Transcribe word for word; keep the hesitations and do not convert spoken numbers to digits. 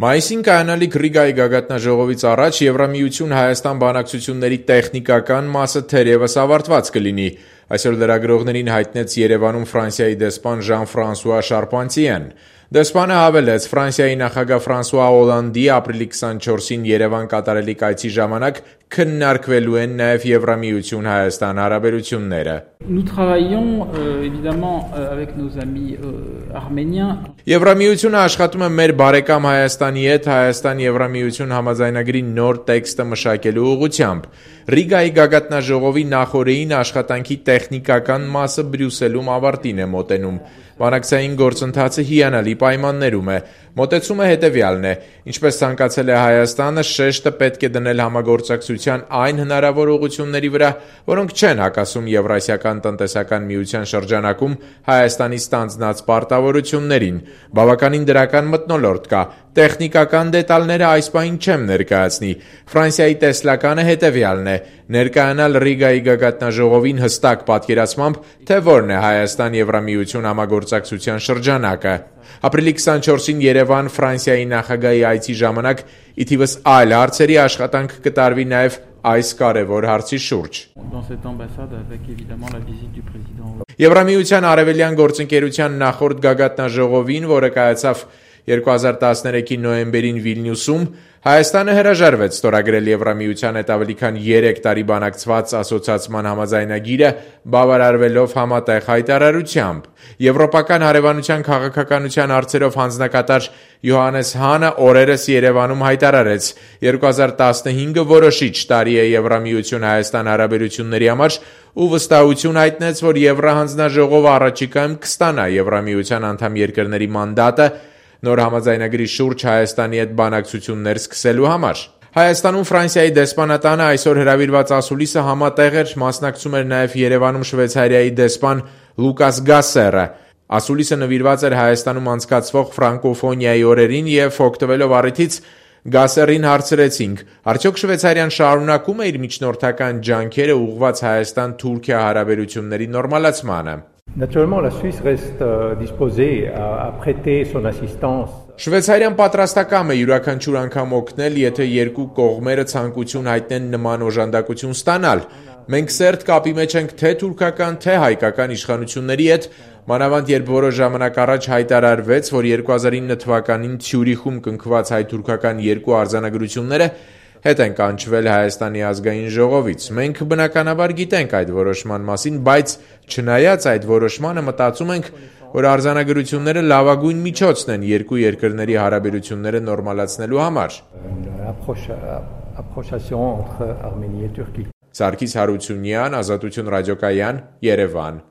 Մայիսին կայանալիք Ռիգայի գագաթնաժողովից առաջ Եվրամիություն Հայաստան բանակցությունների տեխնիկական մասը թերևս ավարտված կլինի, այսօր լրագրողներին հայտնեց Երևանում Ֆրանսիայի դեսպան Ժան-Ֆրանսուଆ Շարպանտիեն։ Դեսպանը հավելեց, Ֆրանսիայի նախագահ Ֆրանսուଆ Օլանդի ապրիլի քսանչորսին Երևան կատարելիք այցի ժամանակ քննարկվելու են նաև Եվրամիություն Հայաստան հարաբերությունները։ Nous travaillons euh, évidemment euh, avec nos amis euh, arméniens. Եվրամիությունը աշխատում է մեր բարեկամ Հայաստանի հետ Հայաստան-Եվրամիություն համաձայնագրի նոր տեքստը մշակելու ուղղությամբ։ Ռիգայի գագաթնաժողովի նախօրեին աշխատանքի տեխնիկական մասը Բրյուսելում ավարտին է մոտենում։ Բանակցային գործընթացը հիանալի պայմաններում է։ Մոտեցումը հետևյալն է. ինչպես ցանկացել է Հայաստանը, շեշտը պետք է դնել համագործակցության այն հնարավոր ուղղությունների վրա, որոնք չեն հակասում Եվրասիական տնտեսական միության շրջանակում Հայաստանի ստանձնած պարտավորություններին։ Բավականին դրական մթնոլորտ կա։ Տեխնիկական դետալները այս պահին չեմ ներկայացնի։ Ֆրանսիայի տեսլականը հետևյալն է. ներկայանալ Ռիգայի գագաթնաժողովին հստակ պատկերացմամբ, թե որն է Հայաստան-Եվրամիություն համագործակցության շրջանակը։ Ապրիլի քսանչորսին Երևան Ֆրանսիայի նախագահի այցի ժամանակ ի թիվս այլ հարցերի աշխատանք կտարվի նաև այս կարևոր հարցի շուրջ։ Եվրամիության արևելյան գործընկերության նախորդ գագաթնաժողովին, որը կայացավ երկու հազար տասներեքի նոյեմբերին Վիլնյուսում, Հայաստանը հրաժարվեց ստորագրել Եվրամիության հետ ավելի քան երեք տարի բանակցված ասոցիացման համաձայնագիրը, բավարարվելով համատեղ հայտարարությամբ։ Եվրոպական հարևանության քաղաքականության հարցերով հանձնակատար Յոհաննես Հանը օրերս Երևանում հայտարարեց. երկու հազար տասնհինգը որոշիչ տարի է Եվրամիություն Հայաստան հարաբերությունների համար ու վստահություն հայտնեց, որ Եվրահանձնաժողովը առաջիկայում կստանա Եվրամիության անդամ երկրների մանդատը նոր համաձայնագրի շուրջ Հայաստանի հետ բանակցություններ սկսելու համար։ Հայաստանում Ֆրանսիայի դեսպանատանը այսօր հրավիրված ասուլիսը համատեղ էր, մասնակցում էր նաև Երևանում Շվեյցարիայի դեսպան Լուկաս Գասերը։ Ասուլիսը նվիրված էր Հայաստանում անցկացվող ֆրանկոֆոնիայի օրերին եւ օգտվելով առիթից Գասերին հարցրեցինք. արդյոք Շվեյցարիան շարունակում է իր միջնորդական ջանքերը ուղղված Հայաստան-Թուրքիա հարաբերությունների նորմալացմանը։ Naturellement, la Suisse reste euh, disposée à, à prêter son assistance. Շվեյցարիան պատրաստակամ է յուրաքանչյուր անգամ օգնել, եթե երկու կողմերը ցանկություն հայտնեն նման օժանդակություն ստանալ։ Մենք սերտ կապի մեջ ենք թե թուրքական, թե հայկական իշխանությունների հետ, մանավանդ երբ որոշ ժամանակ առաջ հայտարարվեց, որ երկու հազար ինը թվականին Ցյուրիխում կնքված հայ-թուրքական երկու արձանագրությունները հետ են կանչվել Հայաստանի ազգային ժողովից։ Մենք բնականաբար գիտենք այդ որոշման մասին, բայց չնայած այդ որոշմանը մտածում ենք, որ արձանագրությունները լավագույն միջոցն են երկու երկրների հարաբերությունները նորմալացնելու համար։ Սարգիս Հարությունյան, Ազատություն ռադիոկայան, Երևան։